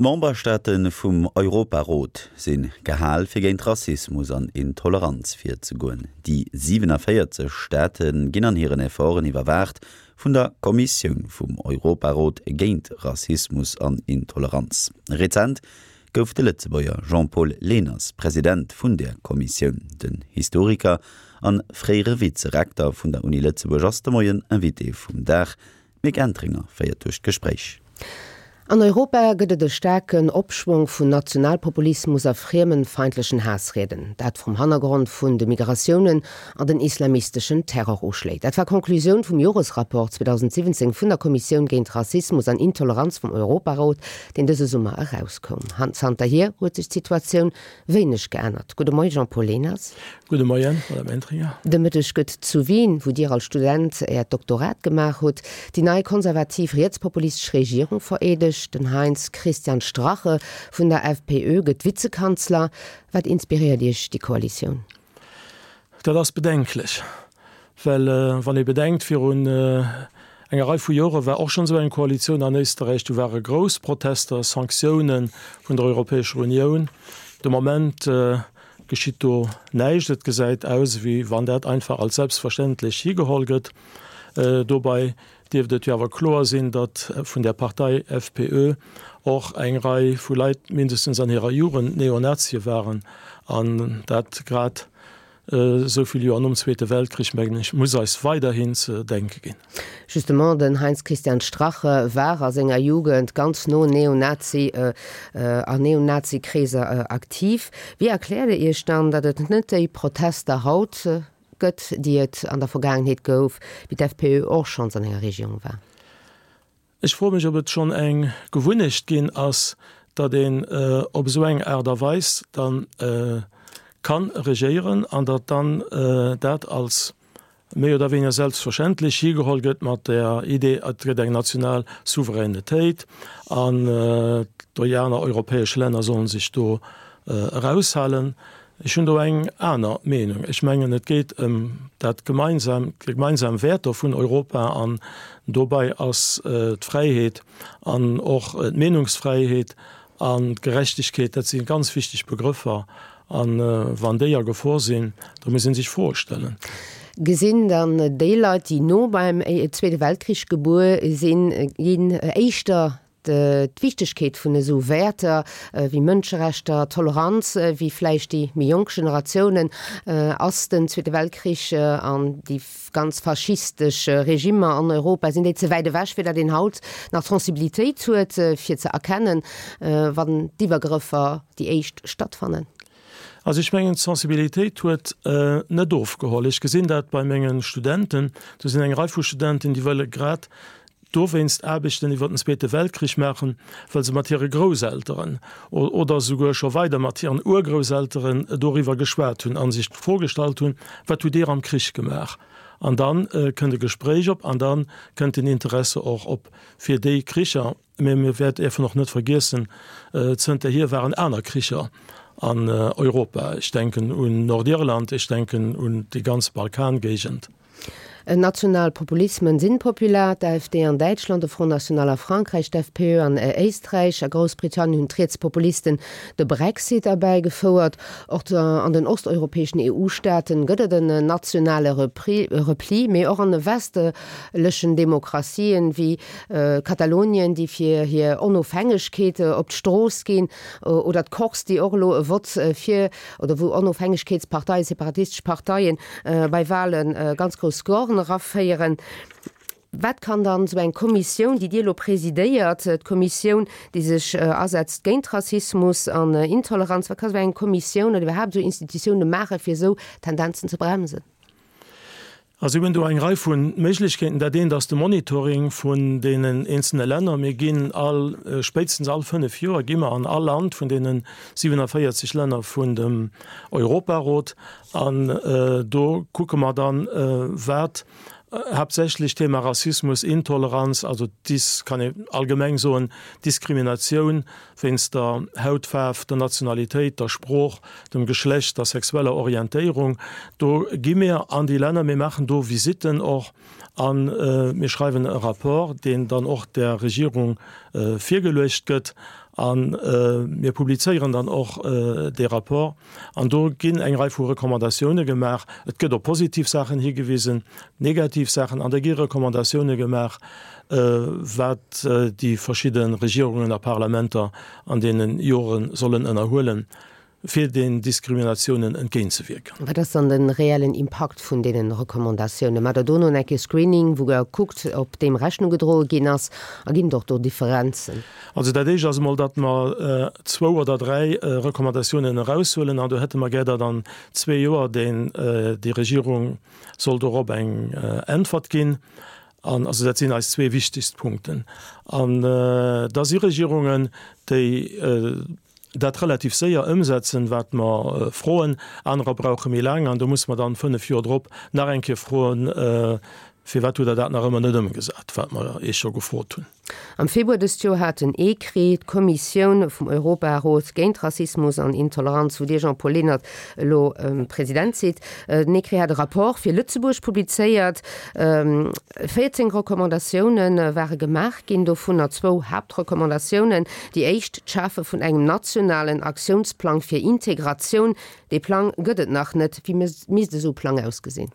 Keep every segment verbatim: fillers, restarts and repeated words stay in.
D'Memberstaate vum Europarot si gehal fir géint Rassismus an Intoleranz virzegoen. Déi siwenavéierzeg Staate ginn an hiren Efforten iwwerwaacht vun der Kommissioun vum Europarot géint Rassismus an Intoleranz. Rezent gouf de Lëtzebuerger Jean-Paul Lehners President vun där Kommissioun. Den Historiker an fréiere Vizerekter vun der Uni Lëtzebuerg ass de Moien Invité vum Dag. D'Mick Entringer féiert duerch d'Gespréich. An Europa gëtt et e staarken Opschwong vun Nationalpopulismus a friemenfeindlechen Haassrieden. Dat vrum Hannergrond vun de Migratiounen an den islamisteschen Terroruschléi. Dat war d'Konklusioun vum Joresrapport zweedausendsiwwenzéng vun der Kommissioun géint Rassismus an Intoleranz vum Europarot, deen dëse Summer erauskoum. Zanterhier huet sech d'Situatioun wéineg geännert. Gudde Moie Jean-Paul Lehners. Gudde Moien, Madame Entringer. De Mëtteg gëtt zu Wien, wou Dir als Student Äert Doktorat gemaach hutt, déi nei konservativ rietspopulistesch Regierung vereedegt. Den Heinz-Christian Strache vun der F P Ö gëtt Vizekanzler. Wat inspiréiert Iech déi Koalitioun? Dat ass bedenklech, well wann ee bedenkt, virun enger Rei vu Jore war och schonn esou eng Koalitioun an Éisterräich, do ware grouss Protester, Sanktioune vun der Europäescher Unioun. De Moment geschitt do näischt. Et gesäit aus, wéi wann dat einfach als selbstverständlech higeholl gëtt. Dobäi dierft et jo awer kloer sinn, datt vun där Partei F P Ö och eng Rei vu Leit mindestens an hirer Jugend Neonazie waren, an dat grad esou vill Joer nom Zweete Weltkrich, mengen ech, muss eis weiderhin ze denke ginn. Justement, den Heinz-Christian Strache war a senger Jugend ganz no Neonazi a Neonazi-Kreeser aktiv. Wéi erkläert Dir Iech dann, datt et net déi Protester haut gëtt, déi et an der Vergaangenheet gouf, wéi d'F P Ö och schonns an enger Regierung war? Ech froe mech, ob et schonn eng Gewunnecht ginn ass, datt een op esou eng Aart a Weis dann kann regéieren an datt dann dat als méi oder wéineger selbstverständlech higeholl gëtt mat der Idee, et gëtt eng national Souveränitéit an déi aner europäesch Länner sollen sech do eraushalen. Ech hunn do eng aner Meenung. Ech mengen, et geet ëm dat gemeinsam, déi gemeinsam Wäerter vun Europa an dobäi ass d'Fräiheet an och d'Meenungsfräiheet an d'Gerechtegkeet, dat si ganz wichteg Begrëffer an wann déi a Gefor sinn, da muss ee sech Froe stellen. Gesinn dann déi Leit, déi no beim Zweete Weltkrich gebuer sinn, ginn, éischter d'Wichtegkeet vun esou Wäerter wéi Mënscherechter, Toleranz, wéi vläicht déi méi jonk Generatiounen? Ass den Zweete Weltkrich an déi ganz faschistesch Regimmer an Europa, sinn déi ze wäit ewech, fir datt een haut nach d'Sensibilitéit huet, fir ze erkennen, wann d'Iwwergrëffer déi éischt stattfannen? Also ech mengen, d'Sensibilitéit huet net ofgeholl. Ech gesinn dat bei mengen Studenten. Do sinn eng Rei vu Studenten, déi wëlle grad dowéinst Aarbechten iwwer den Zweete Weltkrich maachen, well se mat hire Grousselteren oder souguer scho weider mat hiren Urgrousselteren doriwwer geschwat hunn a sech d'Fro gestallt hunn, Wat hutt Dir am Krich gemaach? An da kënnt e Gespréich op an da kënnt den Interesse och op fir déi Kricher. Mä mir wäert däerfen och net vergiessen, zënterhier waren aner Kricher an Europa. Ech denken un Nordirland, ech denken un déi ganz Balkangéigend. National Populismen sinn populär, d'A F D an Däitschland, de Front National a Frankräich, d'F P Ö an Éisträich. A Groussbritannien hunn d'Rietspopulisten de Brexit erbäigefouert. Och an den osteuropäeschen E U-Staaten gëtt et en nationale Repli, mee och an de westlechen Demokratien, wéi Katalonien, déi fir hir Onofhängegkeet op d'Strooss ginn, oder d'Corse, déi och elo e Vott fir, oder wou Onofhängegkeetsparteien, separatistesch Parteien bei Wale ganz grouss Scoren eraféieren. Wat kann dann esou eng Kommissioun, déi Dir elo presidéiert, d'Kommissioun, déi sech asetzt géint Rassismus an Intoleranz, wat ka sou eng Kommissioun oder iwwerhaapt esou Institutioune maachen, fir esou Tendenzen ze bremsen? Also mir hunn do eng Rei vu Méiglechkeeten. Dat eent ass de Monitoring vun deenen eenzelne Länner. Mir ginn all, spéitstens all fënnef Joer gi mer an all Land vun deene siewenaviertzeg Länner vun dem Europarot an do kucke mer dann, wat haaptsächlech Thema Rassismus, Intoleranz, also dis, kann ee allgemeng soen, Diskriminatioun wéinst der Hautfaarf, der Nationalitéit, der Sprooch, dem Geschlecht, der sexueller Orientéierung. Do gi mir an déi Länner, mir maachen do Visitten och a mir schreiwen e Rapport, deen dann och der Regierung virgeluecht gëtt. A mir publizéieren dann och dee Rapport. An do ginn eng Rei vu Recommandatioune gemaach. Et gëtt op positiv Saachen higewisen, negativ Saachen, an da gi Recommandatioune gemaach, wat déi verschidde Regierungen a Parlamenter an deene Jore sollen ënnerhuelen, fir den Diskriminatiounen entgéintzewierken. Wat ass dann de reellen Impakt vun deenen Recommandatiounen? Maacht Der dono eng Kéier Screening, wou Der kuckt, ob deem Rechnung gedroe ginn ass? A ginn et och do Differenzen? Also dat Éischt ass emol, datt mer zwou oder dräi Recommandatiounen eraushuelen, an do hätte mer gär, datt an zwee Joer deen, déi Regierung soll dorop eng Äntwert ginn. An also dat sinn eis zwee wichtegst Punkten. An da si Regierungen, déi dat relativ séier ëmsetzen, wat mer froen. Anerer brauche méi laang an do musse mer dann fënnef Joer drop nach eng Kéier froen, Firwat hutt Der dat nach ëmmer net ëmgesat, wat mer Iech scho gefrot hunn? Am Februar dëst Joer hat den ECRI, d'Kommissioun vum Europarot géint Rassismus an Intoleranz, wou Dir, Jean-Paul Lehnert, elo President sidd, den ECRI hat e Rapport fir Lëtzebuerg publizéiert. Véierzéng Recommandatioune ware gemaach ginn, dovunner zwou Haaptrecommandatiounen. Déi éischt, d'Schafe vun engem nationalen Aktiounsplang fir Integratioun. Dee Plang gëtt et nach net. Wéi misst esou e Plang ausgesinn?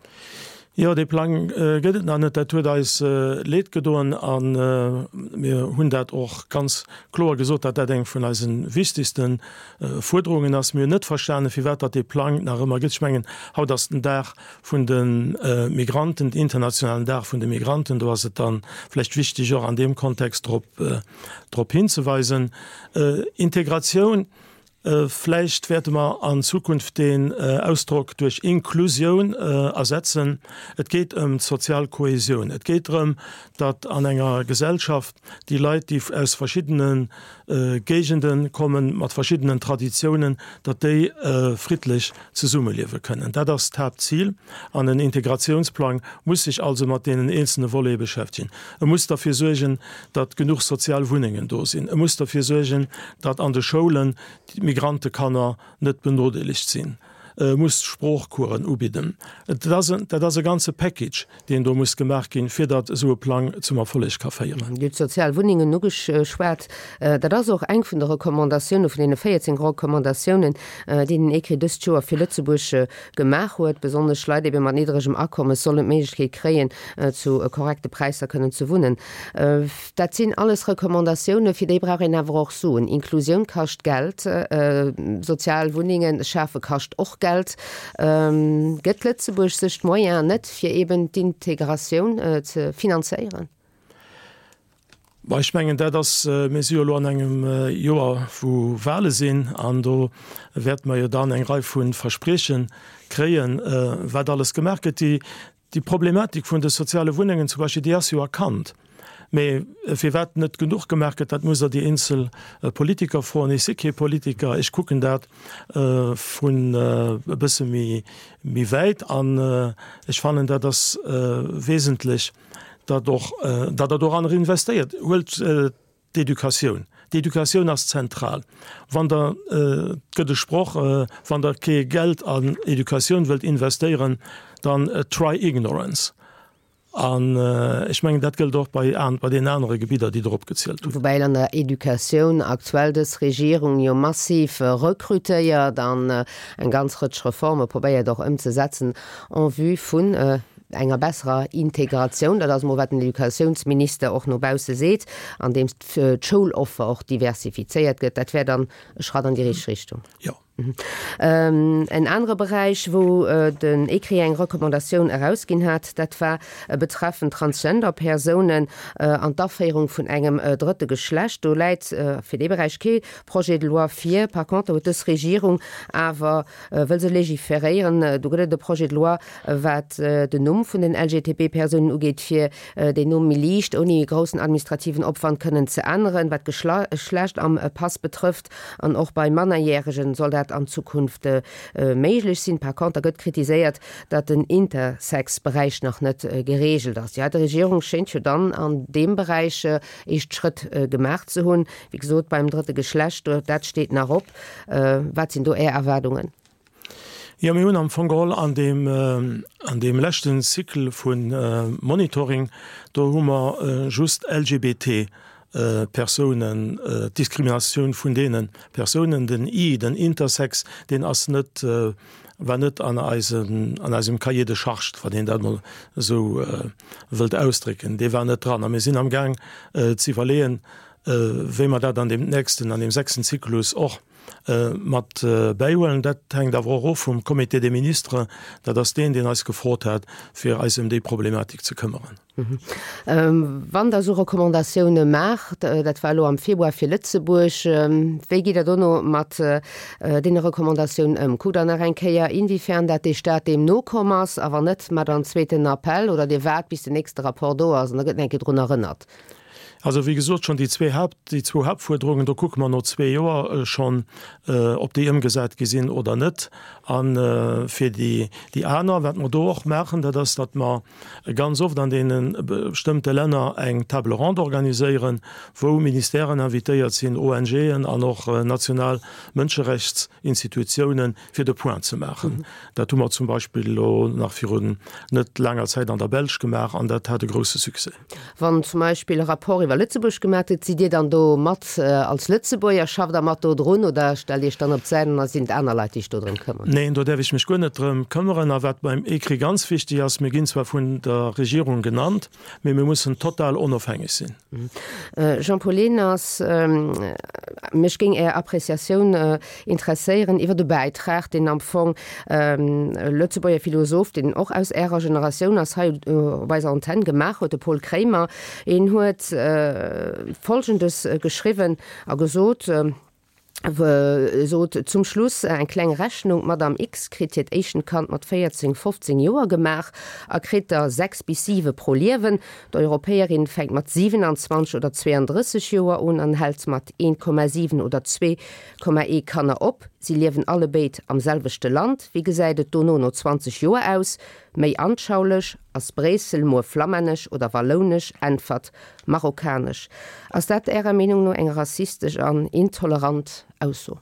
Jo, dee Plang gëtt et nach net. Dat huet eis Leed gedoen a mir hunn dat och ganz kloer gesot, datt dat eng vun eise wichtegste Fuerderungen ass. Mir hunn net verstanen, firwat datt dee Plang nach ëmmer gëtt. Ech mengen, haut ass den Dag vun de Migranten, den internationalen Dag vun de Migranten. Do ass et da vläicht wichteg, och an deem Kontext drop drop hinzeweisen. Integratioun, vläicht wäerte mer an Zukunft deen Ausdrock duerch Inklusioun ersetzen. Et geet ëm d'sozial Kohesioun. Et geet drëm, datt an enger Gesellschaft déi Leit, déi aus verschiddene Géigende kommen, mat verschiddenen Traditiounen, datt déi friddlech zesummeliewe kënnen. Dat ass d'Haaptzil. An en Integratiounsplang muss sech also mat deenen eenzelne Volete beschäftegen. E muss derfir suergen, datt genuch sozial Wunnengen do sinn. E muss derfir suergen, datt an de Schoulen d'Migrantekanner net benodeelegt sinn. E muss Sproochcoursen ubidden. Et ass en, dat ass e ganze Package, deen do muss gemaach ginn, fir datt esou e Plang zum Erfolleg ka féieren. Dir hutt d'sozial Wunnengen ugeschwat. Dat ass och eng vun de Recommandatioune vun deene véierzéng Recommandatiounen, déi den ECRI dëst Joer fir Lëtzebuerg gemaach huet. Besonnesch Leit ebe mat niddregem Akommes sollen d'Méiglechkeet kréien, zu korrekte Präisser kënnen ze wunnen. Dat sinn alles Recommandatiounen, fir déi brauch een awer och Suen. Inklusioun kascht Geld, sozial Wunnengen schafe kascht och Geld. Gëtt Lëtzebuerg sech d'Moyenen net, fir eben d'Integratioun ze finanzéieren? Bon, ech mengen, dat ass, mir si jo elo an engem Joer, wou Wahle sinn, an do wäerte mer jo dann eng Rei vu Versprieche kréien, wat alles gemaach gëtt. Déi Déi Problematik vun de soziale Wunnengen zum Beispill, déi ass jo erkannt. Mee firwat net genuch gemaach gëtt, dat musst Der déi eenzel Politiker froen. Ech si kee Politiker, ech kucken dat vun e bësse méi wäit an ech fannen, dat ass wesentlech, datt och, datt Der doranner investéiert. Huelt d'Educatioun. D'Educatioun ass zentral. Wann Der, et gëtt e Sproch, wann Der kee Geld an Educatioun wëllt investéieren, dann try ignorance. An ech mengen, dat gëllt och bei bei deenen anere Gebidder, déi Der opgezielt hutt. Woubäi an der Educatioun aktuell dës Regierung jo massiv rekrutéiert an eng ganz Rëtsch Reforme probéiert och ëmzesetzen en vue vun enger besserer Integratioun. Dat ass emol, wat den Educatiounsminister och no bausse seet, andeems d'Schouloffer och diversifizéiert gëtt. Dat wär dann e Schratt an déi richteg Richtung. Jo. En anere Beräich, wou den ECRI eng Recommandatioun erausginn hat, dat war betreffend Transgender-Persounen an d'Aféierung vun engem drëtte Geschlecht. Do läit fir dee Beräich kee Projet de loi vir. Par contre huet dës Regierung awer wëll se legiferéieren. Do gëtt et e Projet de loi, wat den Numm vun den L G T B-Persounen ugeet, fir deen Numm méi liicht, ouni groussen administrativen Opwand kënnen ze änneren, wat d'Geschlecht am Pass betrëfft. An och bei Mannerjäregen soll dat an Zukunft méiglech sinn. Par conter gëtt kritiséiert, datt den Intersex-Beräich nach net gereegelt ass. Jo, d'Regierung schéint jo dann an deem Beräich éischt Schrëtt gemaach ze hunn. Wéi gesot, beim drëtte Geschlecht, dat steet nach op. Wat sinn do Är Erwaardungen? Jo, mir hunn am Fong geholl an deem, an deem leschten Cycle vu Monitoring, do hu mer just L G B T Persounen, d'Diskriminatioun vun deene Persounen. Den I, den Intersex, deen ass net, war net an eisem, an eisem Cahier de charges, wann een dat emol esou wëllt ausdrécken, dee war net dran. A mir sinn amgaang ze iwwerleeën, wéi mer dat an deem nächsten, an deem sechsten Zyklus och mat bäihuelen. Dat hänkt awer och of vum Comité des ministres. Dat ass deen, deen eis gefrot hat, fir eis ëm déi Problematik ze këmmeren. Wann Der esou Recommandatioune maacht, dat war elo am Februar fir Lëtzebuerg, wéi gitt Der dono mat deene Recommandatiounen ëm? Kuckt Der nach eng Kéier, inwiefern dat dee Stat deem nokomm ass? A wann net, maacht Der en zweeten Appell oder Dir waart, bis den nächste Rapport do ass an da gëtt nach eng Kéier drun erënnert? Also, wéi gesot, schonn déi zwee Haupt, déi zwou Hauptfuerderungen, do kucke mer no zwee Joer schonn, ob déi ëmgesat gi sinn oder net. A fir déi, déi aner, wat mer do och maachen, dat ass, datt mer ganz oft an deene bestëmmte Länner eng Table ronde organiséieren, wou Ministèren invitéiert sinn, ONGen an och national Mënscherechtsinstitutiounen, fir de Point ze maachen. Dat hu mer zum Beispill elo nach virun net laanger Zäit an der Belsch gemaach an dat hat e grouse Succès. Wann zum Beispill e Rapport iwwer Lëtzebuerg gemaach gëtt, sidd Dir dann do mat als Lëtzebuerger, schafft Der mat do drun oder stellt Iech dann op d'Säit an da sinn et aner Leit, déi sech do drëm këmmeren? Neen, do däerf ech mech guer net drëm këmmeren. A wat beim ECRI ganz wichteg ass, Mir ginn zwar vun der Regierung genannt, mee mir mussen total onofhängeg sinn. Jean-Paul Lehners, Mech géing Är Appréciatioun interesséieren iwwer e Bäitrag, deen am Fong e Lëtzebuerger Philosoph, deen och aus Ärer Generatioun ass, hei op eiser Antenn gemaach huet, de Paul Kraemer. Hien huet Folgendes geschriwwen a gesot, sot, Zum Schluss eng kleng Rechnung, D'Madame X kritt hiert éischten Kand mat véierzéng, fofzéng Joer gemaach a kritt der sechs bis siwe pro Liewen. D'Europäerin fänkt mat siwenanzwanzeg oder zweeandrësseg Joer un an hält mat een Komma siwen oder zwee Komma ee Kanner op. Si liewen allebéid am selwechte Land. Wéi gesäit et dono no zwanzeg Joer aus? Méi anschaulech, Ass Bréissel muer flammännesch oder wallounesch? Äntwert, Marokkanesch. Ass dat Ärer Meenung no eng rassistesch an intolerant Ausso?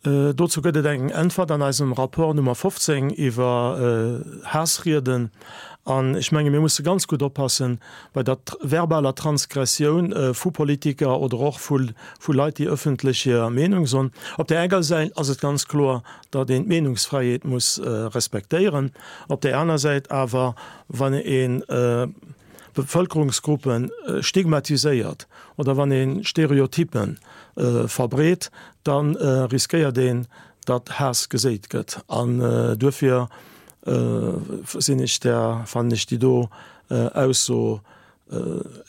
Dozou gëtt et eng Äntwert an eisem Rapport Nummer fofzéng iwwer Haassrieden. An ech menge mir musse ganz gutt oppassen bei der verbaler Transgressioun vu Politiker oder och vu Leit, déi ëffentlech hir Meenung soen. Op där enger Säit ass et ganz kloer, datt een d'Meenungsfräiheet muss respektéieren. Op där aner Säit awer, wann ee Bevëlkerungsgruppe stigmatiséiert oder wann ee Stereotyppe verbreet, da riskéiert een, datt Haass geséit gëtt. An duerfir sinn ech där, fannen ech déi do Ausso,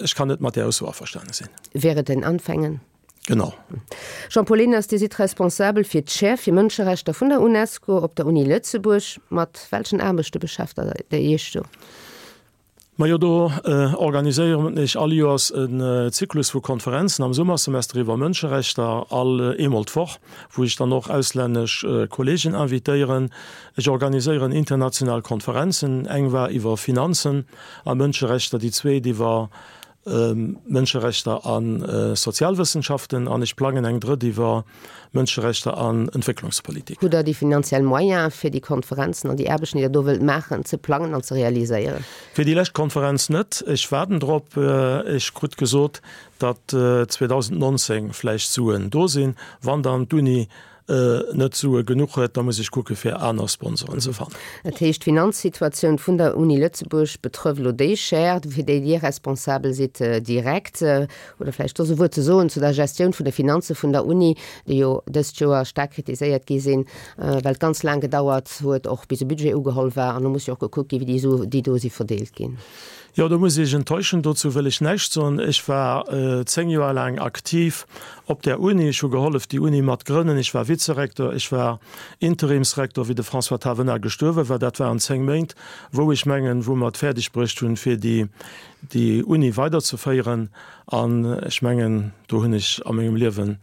ech kann net mat där Ausso averstane sinn. Wäre den Anfängen. Genau. Jean-Paul Lehners, Dir sidd responsabel fir d'Chaire fir Mënscherechter vun der UNESCO op der Uni Lëtzebuerg. Mat welchen Aarbechte beschäftegt Der Iech do? Majo, do organiséieren ech all Joers en Zyklus vu Konferenzen am Summersemester iwwer Mënscherechter, all eemol d'Woch, wou ech dann och auslännesch Kollegen invitéieren. Ech organiséieren international Konferenzen, eng war iwwer Finanzen a Mënscherechter, déi zweet iwwer Mënscherechter a Sozialwëssenschaften an ech plangen eng drëtt iwwer Mënscherechter an Entwécklungspolitik. Hutt Der déi finanziell Moyene fir déi Konferenzen an déi Aarbechten, déi Der do wëllt maachen, ze plangen an ze realiséieren? Fir déi lescht Konferenz net. Ech waarden drop. Ech krut gesot, datt zweedausendnonzéng vläicht Suen do sinn. Wann dann d'Uni net Sue genuch huet, da muss ech kucke fir aner Sponsoren ze fannen. Dat heescht, d'Finanzsituatioun vun der Uni Lëtzebuerg betrëfft elo déi Chaire, fir déi Dir responsabel sidd, direkt. Oder vläicht soss e Wuert ze soen zu der Gestioun vun de Finanze vun der Uni, déi jo dëst Joer staark kritiséiert gi sinn, well et ganz laang gedauert huet, och bis e Budget ugeholl war. An do muss jo och gekuckt ginn, wéi déi Sue, déi do si verdeelt ginn. Jo, do muss ech Iech enttäuschen, dozou wëll ech näischt soen. Ech war zéng Joer laang aktiv op där Uni. Ech hu gehollef, déi Uni mat grënnen. Ech war Vizerektor, ech war Interimsrektor, wéi de François Tavenas gestuerwe war. Dat waren zéng Méint, wou ech mengen, wou mer et fäerdeg bruecht hunn, fir déi, déi Uni weiderzeféieren. An ech mengen, do hunn ech a mengem Liewe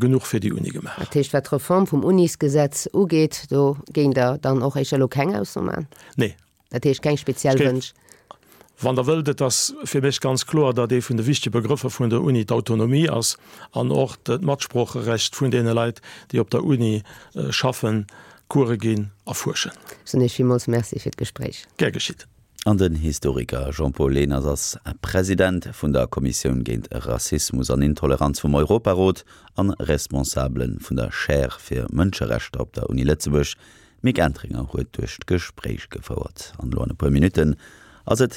genuch fir déi Uni gemaach. Dat heescht, wat d'Reform vum Unisgesetz ugeet, do géingt Der dann och éischter elo keng Ausso maachen? Nee. Dat heescht keng speziell Wënsch? Wann Der wëllt, et ass fir mech ganz kloer, datt ee vun de wichtege Begrëffer vun der Uni d'Autonomie ass an och d'Matsproocherecht vun deene Leit, déi op der Uni schaffen, Course ginn a fuerschen. Ech soen Iech villmools Merci fir d'Gespréich. Gär geschitt. An den Historiker Jean-Paul Lehners ass President vun der Kommissioun géint Rassismus an Intoleranz vum Europarot an Responsabele vun der Chaire fir Mënscherechter op der Uni Lëtzebuerg. D'Mick Entringer huet duerch d'Gespréich gefouert. An elo an e puer Minutten ass et